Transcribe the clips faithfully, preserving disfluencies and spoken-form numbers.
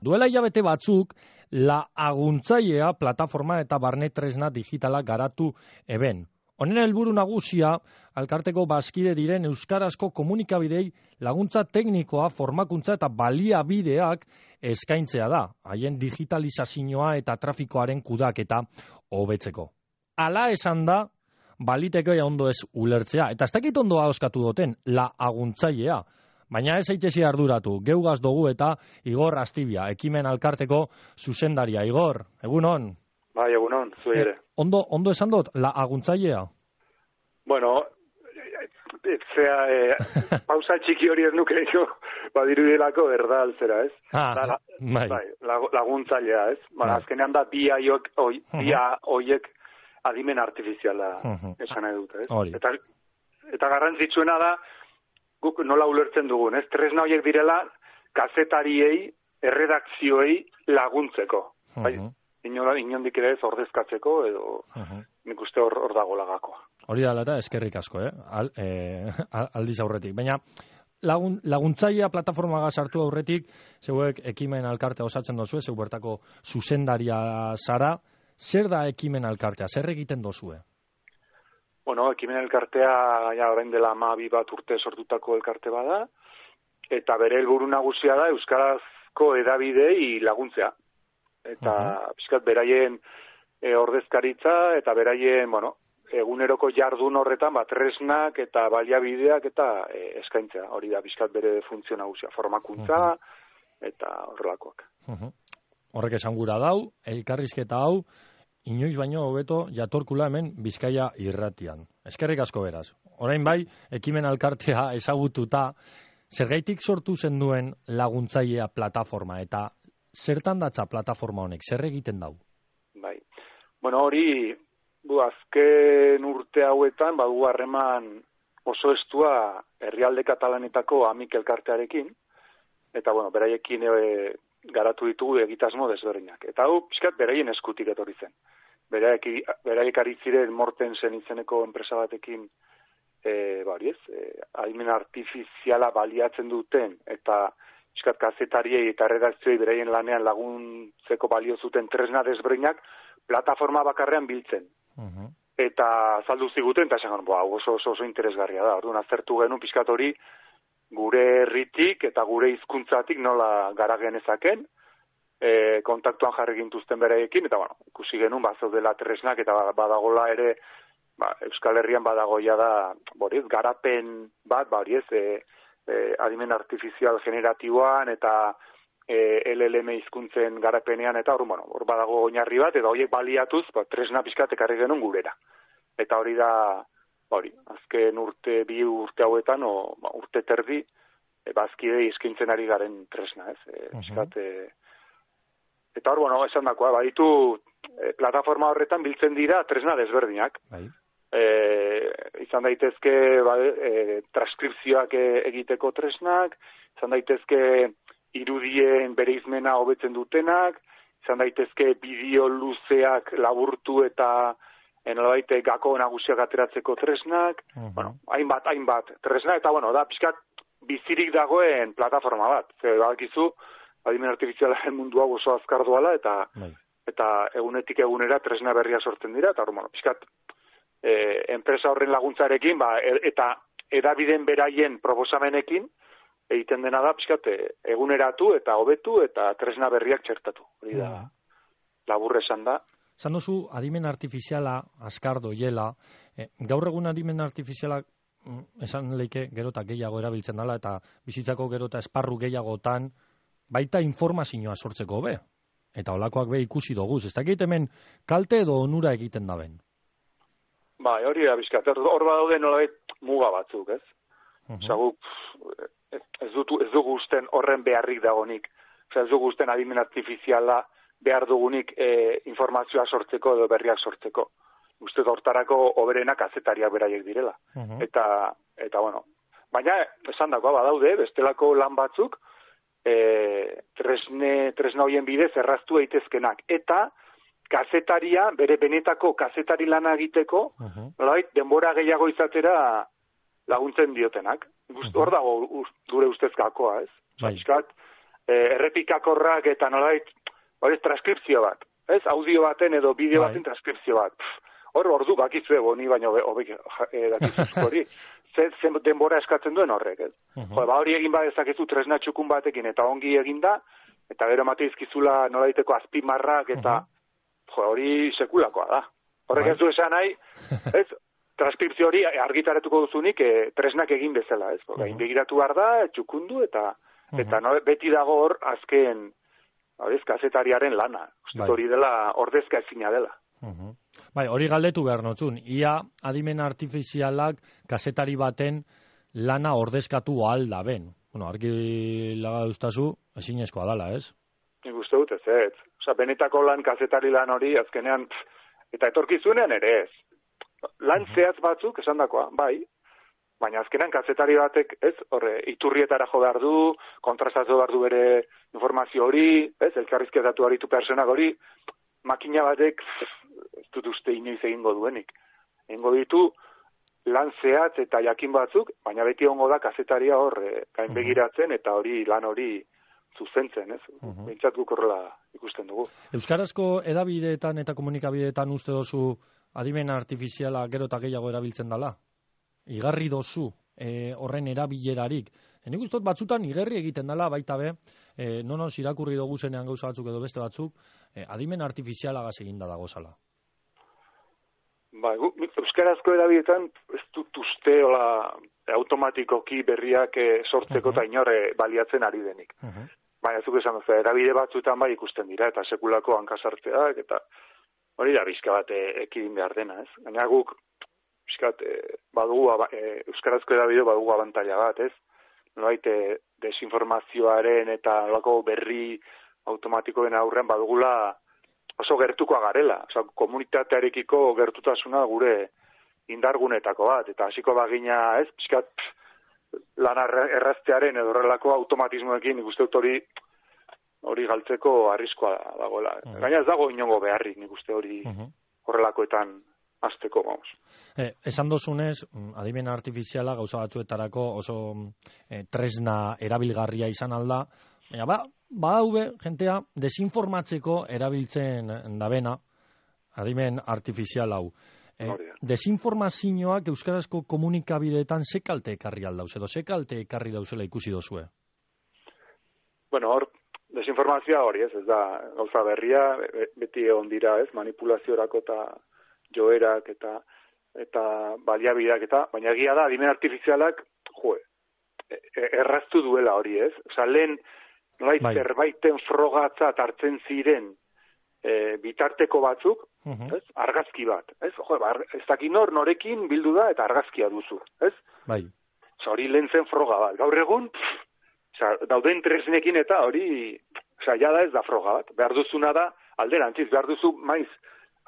Duela hilabete batzuk, La Aguntzailea plataforma eta barne tresna digitala garatu eben. Honen helburu nagusia, elkarteko bazkide diren euskarazko komunikabidei laguntza teknikoa, formakuntza eta baliabideak eskaintzea da, haien digitalizazioa eta trafikoaren kudaketa hobetzeko. Hala esan da, baliteke ondo ez ulertzea, eta ez dakit ondo ahoskatu duten, La Aguntzailea. Baina ez aitzesi arduratu, geugaz dugu eta Igor Astibia, ekimen elkarteko zuzendaria. Igor, egunon? Bai, egunon, zuei ere. Eh, ondo, ondo esan dut, La Aguntzailea? Bueno, etzea, eh, pausa txiki hori ez nuke jo, badirudielako erda altzera, ez? Ah, da, la, bai. bai, laguntzailea, ez? Bara, Bai. azkenean da bi aiok, oi, Uh-huh. bi hoiek adimen artifiziala Uh-huh. esan nahi dute, ez? Hori. Eta, eta garrantzitsuena da, guk nola ulertzen dugun, ez? Tresna horiek direla, kazetariei, erredakzioei laguntzeko. Bai, Uh-huh. inola, inondik ere ez ordezkatzeko, edo Uh-huh. nik uste hor, hor dago lagakoa. Hori da eta eskerrik asko, eh? Al, eh, aldiz aurretik. Baina lagun, laguntzailea plataformaga sartu aurretik, zeuek ekimen elkartea osatzen dozue, zeu bertako zuzendaria zara. Zer da ekimen elkartea? Zer egiten dozue? Bueno, ekimen elkartea, ja, orain dela hamabi bat urte sortutako elkarte bada, eta bere helburu nagusia da euskarazko hedabidei laguntzea. Eta uh-huh. pixkat beraien e, ordezkaritza eta beraien, bueno, eguneroko jardun horretan bat tresnak eta baliabideak eta e, eskaintzea. Hori da pixkat bere funtzio nagusia, formakuntza uh-huh. eta horrelakoak. Uh-huh. Horrek esan gura dau, elkarrizketa hau, inoiz baino hobeto jatorkula hemen Bizkaia irratian. Eskerrik asko beraz. Orain bai, ekimen elkartea ezagututa, zergaitik sortu zen duen Laguntzailea plataforma eta zertan datza plataforma honek, zer egiten dau? Bai. Bueno, hori, bu, azken urte hauetan, badu harreman oso estua herrialde katalanetako amik elkartearekin, eta, bueno, beraiekin e, garatu ditugu egitasmo desberdinak. Eta hau, pixkat, beraien eskutik etorri zen. Beraiek, beraiek ari ziren Mortensen izeneko enpresa batekin, e, bari ez, e, adimen artifiziala baliatzen duten, eta pixkat kazetariei eta redakzioei beraien lanean laguntzeko balio zuten tresna desberdinak, plataforma bakarrean biltzen. Uh-huh. Eta azaldu ziguten, eta esan, boa, oso, oso, oso interesgarria da. Orduan aztertu genuen pixkat hori gure herritik eta gure hizkuntzatik nola gara genezaken, e, kontaktuan jarri gintuzten beraiekin, eta bueno, ikusi genuen bazaudela tresnak, eta badagola ere, ba, Euskal Herrian badagoia da, boriez, garapen bat, boriez, e, e, adimen artifizial generatiboan, eta e, L L M hizkuntzen garapenean, eta hor, bueno, hor badago oinarri bat, eta horiek baliatuz, ba, tresna pixkat ekarri genuen gurera. Eta hori da, hori, azken urte, bi urte hauetan, o, ba, urte terdi, e, bazkidei eskintzen ari garen tresna, ez? E, pixkat, e, eta hor, bueno, esan dakoa, baditu, e, plataforma horretan biltzen dira tresna desberdinak. Bai. E, izan daitezke ba, e, transkripzioak egiteko tresnak, izan daitezke irudien bereizmena hobetzen dutenak, izan daitezke bideo luzeak laburtu eta nolabait gako nagusiak ateratzeko tresnak, uh-huh. bueno, hainbat, hainbat tresna, eta bueno, da pixkat bizirik dagoen plataforma bat. Zer, badakizu, adimen artifizialaren mundu hau oso azkar doala, eta, bai. eta egunetik egunera tresna berria sortzen dira, eta bueno, pixkat e, enpresa horren laguntzarekin, ba, e, eta edabideen beraien proposamenekin, egiten dena da, pixkat, eguneratu eta hobetu eta tresna berriak txertatu. Hori da, labur esan da. Zan dozu, adimen artifiziala, azkar doiela, eh, gaur egun adimen artifizialak esan leike gero eta gehiago erabiltzen dela, eta bizitzako gero eta esparru gehiagotan, baita informazioa sortzeko be. Eta holakoak be ikusi doguz. Ez dakit hemen kalte edo onura egiten daben? Bai, hori da, bizkat. Hor badaude nolabait muga batzuk, ez? Uh-huh. Osa, guk, ez, dutu, ez dugu usten horren beharrik dagonik. Osa, ez dugu usten adimen artifiziala behar dugunik e, informazioa sortzeko edo berriak sortzeko. Uste hortarako oberenak kazetariak beraiek direla. Uh-huh. Eta, eta, bueno, baina esan dagoa badaude, bestelako lan batzuk, e, tresne, tresna hoien bidez erraztu daitezkenak. Eta kazetaria, bere benetako kazetari lana egiteko, uh-huh. nolabait, denbora gehiago izatera laguntzen diotenak. Hor uh-huh. dago gure ustez gakoa, ez? Bai. Piskat, errepikakorrak eta nolait, hori transkripzio bat, ez? Audio baten edo bideo baten transkripzio bat. Hor, ordu bakizue boni, baina hobek dakizuzko hori. Zer denbora eskatzen duen horrek, ez? Jo, ba hori egin badezakezu tresna txukun batekin eta ongi eginda, eta gero mateizkizula nolaiteko azpimarrak eta jo, hori sekulakoa da. Horrek ez du esan nahi, ez? Transkripzio hori argitaratuko duzunik e, tresnak egin bezala, ez? Gain begiratu behar da, txukundu eta eta no, beti dago hor azken horiz, kazetariaren lana. Uste hori dela, ordezka ezina dela. Uh-huh. Bai, hori galdetu behar notzun. Ia adimen artifizialak kazetari baten lana ordezkatu ahal da ben. Bueno, argi laga duztazu, ezinezkoa dala, ez? Nik uste dut ez, ez. Osa, benetako lan kazetari lan hori azkenean, eta etorkizunean ere ez. Lan zehaz batzuk, esan dakoa, bai, baina azkenean kazetari batek, ez, horre, iturrietara jo behar du, kontrastatu behar du bere informazio hori, ez, elkarrizketatu haritu personak hori, makina batek, ez dut uste inoiz egingo duenik. Egingo ditu, lan zehatz eta jakin batzuk, baina beti ongo da kazetaria horre, gain begiratzen eta hori, lan hori zuzentzen, ez? Uh-huh. Bintzat guk horrela ikusten dugu. Euskarazko edabideetan eta komunikabideetan uste dozu adimen artifiziala gero eta gehiago erabiltzen dala? Igarri dozu e, horren erabilerarik. E, nik ustot batzutan igerri egiten dela, baita be, e, nonoz irakurri dugu zenean gauza batzuk edo beste batzuk, e, adimen artifizialagaz eginda dago zala. Ba, euskarazko edabideetan ez dut uste hola automatikoki berriak e, sortzeko eta uh-huh. inore baliatzen ari denik. Uh-huh. Baina zuk esan duzu, erabide batzutan bai ikusten dira, eta sekulako hankasartzeak, eta hori da bizka bat ekidin behar dena, ez? Gaina guk, bizkat, e, badugu, e, euskarazko edabide badugu abantaila bat, ez? Nolait, e, desinformazioaren eta nolako berri automatikoen aurrean badugula oso gertukoa garela. Osa, komunitatearekiko gertutasuna gure indargunetako bat, eta hasiko bagina, ez? Bizkat, lan erraztearen edo horrelako automatismoekin nik uste dut hori hori galtzeko arriskoa dagoela. Uh-huh. Gaina ez dago inongo beharrik nik uste hori uh-huh. horrelakoetan hasteko, vamos. Eh, esan dozunez, adimen artifiziala gauza batzuetarako oso eh, tresna erabilgarria izan alda, baina ba, badaube jentea desinformatzeko erabiltzen dabena adimen artifizial hau. Eh, desinformazioak euskarazko komunikabideetan ze kalte ekarri aldauz, edo ze kalte ekarri dauzela ikusi dozue? Bueno, hor, desinformazioa hori, ez, ez da gauza berria, beti egon dira, ez, manipulaziorako eta joerak eta eta baliabideak eta, baina egia da, adimen artifizialak, jo, erraztu duela hori, ez? Osa, lehen, nolait, bai. Zerbaiten frogatzat hartzen ziren e, bitarteko batzuk, uh-huh. ez? Argazki bat, ez? Jo, ez dakit nor, norekin bildu da eta argazkia duzu, ez? Bai. Osa, hori lehen zen froga bat. Gaur egun, pff, osa, dauden tresnekin eta hori, osa, jada ez da froga bat. Behar duzuna da, alderantziz, behar duzu maiz,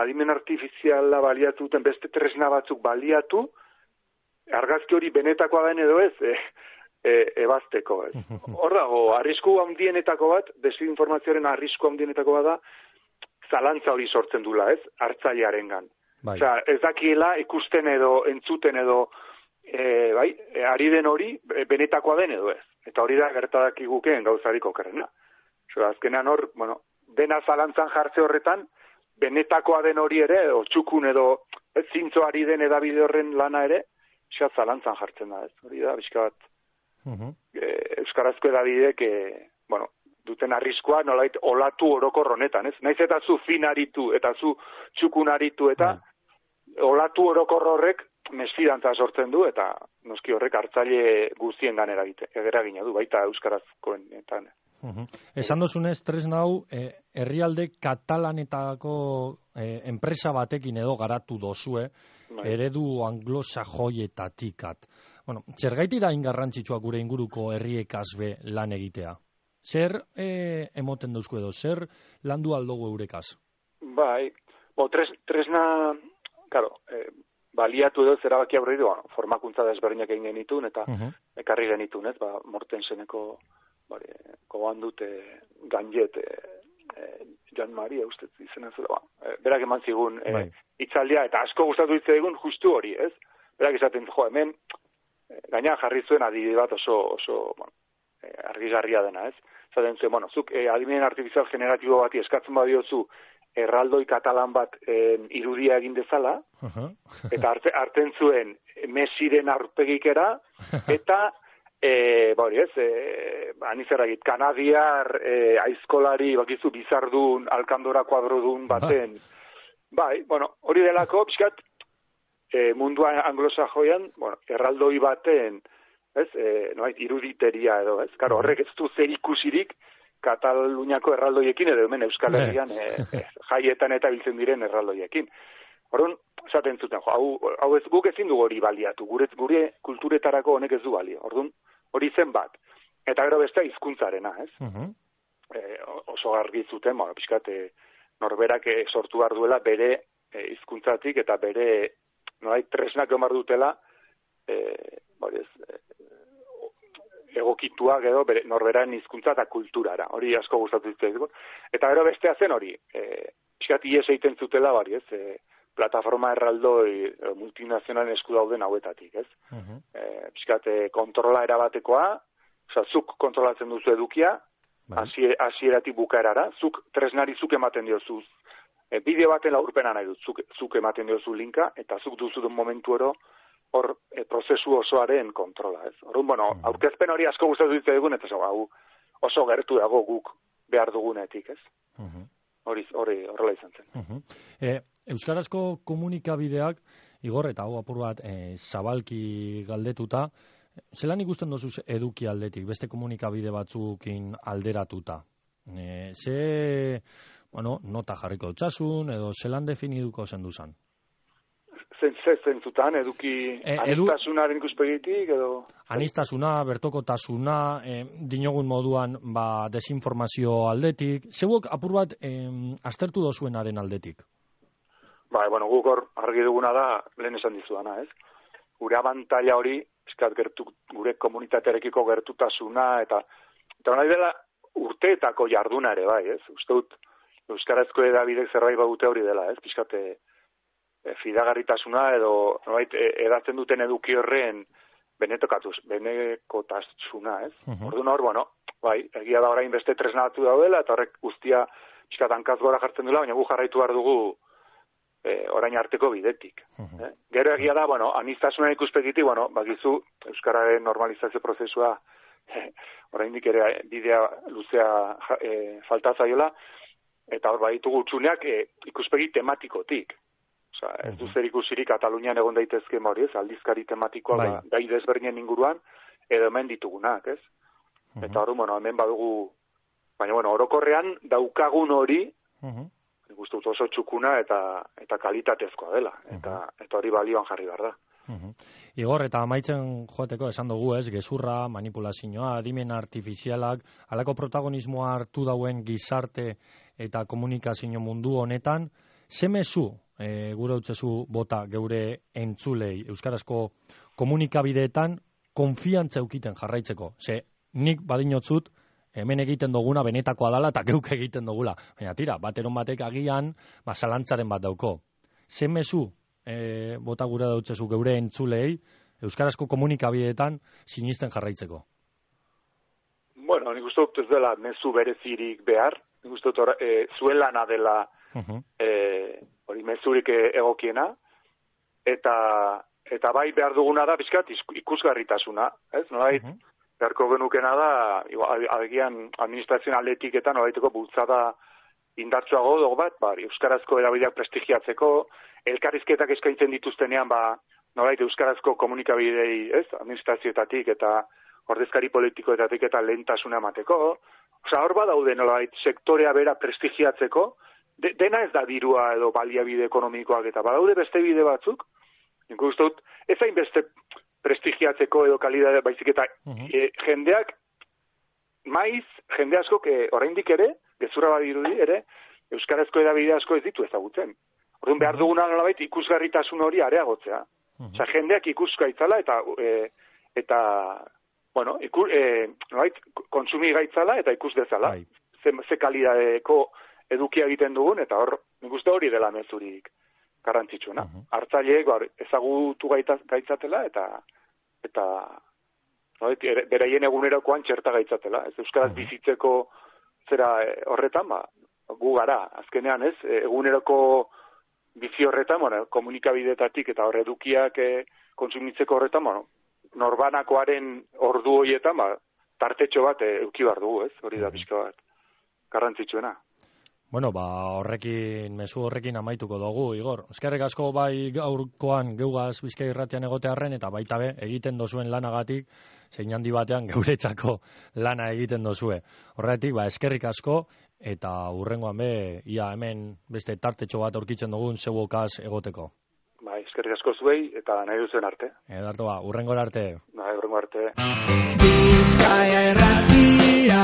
adimen artifiziala baliatu duten beste tresna batzuk baliatu, argazki hori benetakoa den edo ez, e, e, ebazteko, ez. Hor dago, arrisku handienetako bat, desinformazioaren arrisku handienetako bat da, zalantza hori sortzen dula, ez, hartzailearengan. Bai. Osea, ez dakiela ikusten edo, entzuten edo, e, bai, e, ari den hori, benetakoa den edo ez. Eta hori da gertadak igukeen gauzarik okerrena. Osea, azkenean hor, bueno, dena zalantzan jartze horretan, benetakoa den hori ere, o txukun edo, ez zintzoari den edabide horren lana ere, esat zalantzan jartzen da, ez. Hori da, bizka bat, uh-huh. e, euskarazko edabidek, e, bueno, duten arriskoa nolait olatu orokor honetan, ez? Naiz eta zu fin aritu, eta zu txukun aritu, eta uh-huh. olatu orokor horrek mesfidantza sortzen du, eta noski horrek hartzaile guztien gan eragina du, baita euskarazkoenetan. Uh-huh. Esan dozunez, tresna hau, eh, herrialde katalanetako eh, enpresa batekin edo garatu dozue, bai. Eredu anglosajoietatikat. Bueno, zergaiti da ingarrantzitsua gure inguruko herriekaz be lan egitea? Zer eh, emoten dauzku edo, zer landu aldogu eurekaz? Bai, bo, tres, tresna, claro, eh, baliatu edo zerabaki aurre bueno, formakuntza desberdinak egin genitun, eta uh-huh. ekarri genitun, ez, ba, Mortenseneko Bari, koban dute ganjet e, e, Jan Maria uste izena zela, ba. E, berak eman zigun e, itzaldia, eta asko gustatu hitz egun justu hori, ez? Berak esaten, jo, hemen e, gaina jarri zuen adibide bat oso, oso bueno, e, argigarria dena, ez? zaten zuen, bueno, zuk eh, adimen artifizial generatibo bati eskatzen badiozu erraldoi katalan bat eh, irudia egin dezala, uh-huh. eta arte, arten zuen Messiren aurpegikera, eta E, bori ez, e, anizeragit, kanadiar e, aizkolari, bakizu, bizardun, alkandora kuadrodun baten, bai, bueno, hori delako, pixkat, e, mundua anglosajoian, bueno, erraldoi baten, ez, e, noait, iruditeria edo, ez, karo, horrek ez du zer ikusirik Kataluniako erraldoiekin, edo hemen Euskal Herrian e, e, jaietan eta biltzen diren erraldoiekin. Horren, esaten zuten, jo, hau, hau ez guk ezin dugu hori baliatu, gure, gure kulturetarako honek ez du balio, orduan, hori zen bat. Eta gero beste hizkuntzarena, ez? Uh-huh. E, oso argi zuten, bueno, pixkat, e, norberak e, sortu behar duela bere hizkuntzatik e, eta bere, norai, tresnak omar dutela, e, bori ez, e, egokituak edo bere, norberan hizkuntza eta kulturara. Hori asko gustatu zitzaigun. Eta gero bestea zen hori, e, pixkat ies egiten zutela, bari ez, e, plataforma erraldoi multinazionalen esku dauden hauetatik, ez? Uh-huh. E, pixkat, kontrola erabatekoa, oza, zuk kontrolatzen duzu edukia, hasieratik bukaerara, zuk tresnari zuk ematen diozu, e, bideo baten laurpena nahi dut, zuk, zuk ematen diozu linka, eta zuk duzu den momentu ero, hor e, prozesu osoaren kontrola, ez? Horun, bueno, uh-huh. aurkezpen hori asko gustatu ditu egun, eta hau oso gertu dago guk behar dugunetik, ez? Uh-huh. Hori, hori, horrela izan zen. Uh-huh. E, Euskarazko komunikabideak, Igor, eta hau apur bat e, zabalki galdetuta, zelan ikusten dozuz eduki aldetik, beste komunikabide batzukin alderatuta? E, ze, bueno, nota jarriko dutxasun, edo zelan definiduko zenduzan? Zen, ze zentzutan, eduki e, anistasunaren ikuspegitik, edo... Anistasuna, bertokotasuna, e, dinogun moduan ba, desinformazio aldetik, zeuok apur bat e, aztertu dozuenaren aldetik? Ba, bueno, guk hor argi duguna da, lehen esan dizudana, ez? Gure abantaila hori, eskat gertu, gure komunitatearekiko gertutasuna, eta eta nahi dela urteetako jarduna ere, bai, ez? Uste dut, euskarazko edabidek zerbait badute hori dela, ez? Piskate, e, fidagarritasuna edo, nolait, e, edatzen duten eduki horren benetokatuz, benekotasuna, ez? Uh-huh. Orduan hor, bueno, bai, egia da orain beste tresna batzu daudela, eta horrek guztia piskat hankaz gora jartzen duela, baina gu jarraitu behar dugu E, orain arteko bidetik. Uh-huh. Eh? Gero egia da, bueno, anistasunan ikuspegitik, bueno, bakizu, euskararen normalizazio prozesua eh, oraindik ere bidea luzea eh, falta zaiola, eta hor baditugu utzuneak eh, ikuspegi tematikotik. Osea, ez du zer ikusirik Katalunian egon daitezke hori, ez, aldizkari tematikoa bai. Gai desberdinen inguruan, edo hemen ditugunak, ez? Uh-huh. Eta hori, bueno, hemen badugu, baina, bueno, orokorrean daukagun hori, uh-huh. Gustu oso txukuna eta eta kalitatezkoa dela, eta uh-huh. eta hori balioan jarri behar da. Uh-huh. Igor, eta amaitzen joateko esan dugu, ez, gezurra, manipulazioa, adimen artifizialak, halako protagonismoa hartu dauen gizarte eta komunikazio mundu honetan, ze mezu e, gure utzezu bota geure entzulei euskarazko komunikabideetan konfiantza eukiten jarraitzeko. Ze nik badinotzut hemen egiten duguna benetakoa dala eta geuk egiten dugula. Baina tira, bateron batek agian, ba, zalantzaren bat dauko. Ze mezu e, bota gura dautzezu geure entzulei euskarazko komunikabideetan sinisten jarraitzeko? Bueno, nik uste dut ez dela mezu berezirik behar. Nik uste dut e, zuen lana dela uh-huh. e, hori mezurik egokiena. Eta, eta bai behar duguna da, bizkat, ikusgarritasuna. Ez, nolait? Uh-huh. Beharko genukena da, agian administrazioan aldetiketan nolaiteko bultzada indartsuago dugu bat, ba, euskarazko erabideak prestigiatzeko, elkarrizketak eskaintzen dituztenean, ba, nolait euskarazko komunikabidei, ez, administrazioetatik eta ordezkari politikoetatik eta lehentasuna emateko. Osa, hor badaude nolait sektorea bera prestigiatzeko, de, dena ez da dirua edo baliabide ekonomikoak eta badaude beste bide batzuk, nik uste dut, ez hain beste prestigiatzeko edo kalidade baizik eta uh-huh. e, jendeak maiz, jende asko que oraindik ere, gezurra badirudi ere, euskarazko edabide asko ez ditu ezagutzen. Orduan behar duguna nolabait ikusgarritasun hori areagotzea. Uh-huh. Osea, jendeak ikuska itzala eta e, eta bueno, iku, e, nolabait kontsumi gaitzala eta ikus dezala. Ze, ze kalidadeko edukia egiten dugun eta hor, nik uste hori dela mezurik garrantzitsuna. Uh-huh. Hartzaileek ezagutu gaitzatela eta eta no? Beraien egunerokoan txerta gaitzatela. Ez euskaraz bizitzeko zera horretan, ba, gu gara, azkenean ez, eguneroko bizi horretan, bueno, komunikabidetatik eta hor edukiak eh, konsumitzeko horretan, bueno, norbanakoaren ordu horietan, ba, tartetxo bat eh, euki bar dugu, ez? Hori da pixka bat garrantzitsuena. Bueno, ba, horrekin, mezu horrekin amaituko dugu, Igor. Eskerrik asko bai gaurkoan geugaz Bizkai Irratian egotearren, eta baita be, egiten dozuen lanagatik, zein handi batean geuretzako lana egiten dozue. Horretik, ba, eskerrik asko, eta hurrengoan be, ia hemen beste tartetxo bat aurkitzen dugun zeuokaz egoteko. Bai, eskerrik asko zuei, eta nahi duzuen arte. Edarto ba, hurrengo arte. Bai, hurrengo arte. Bizkaia Irratia.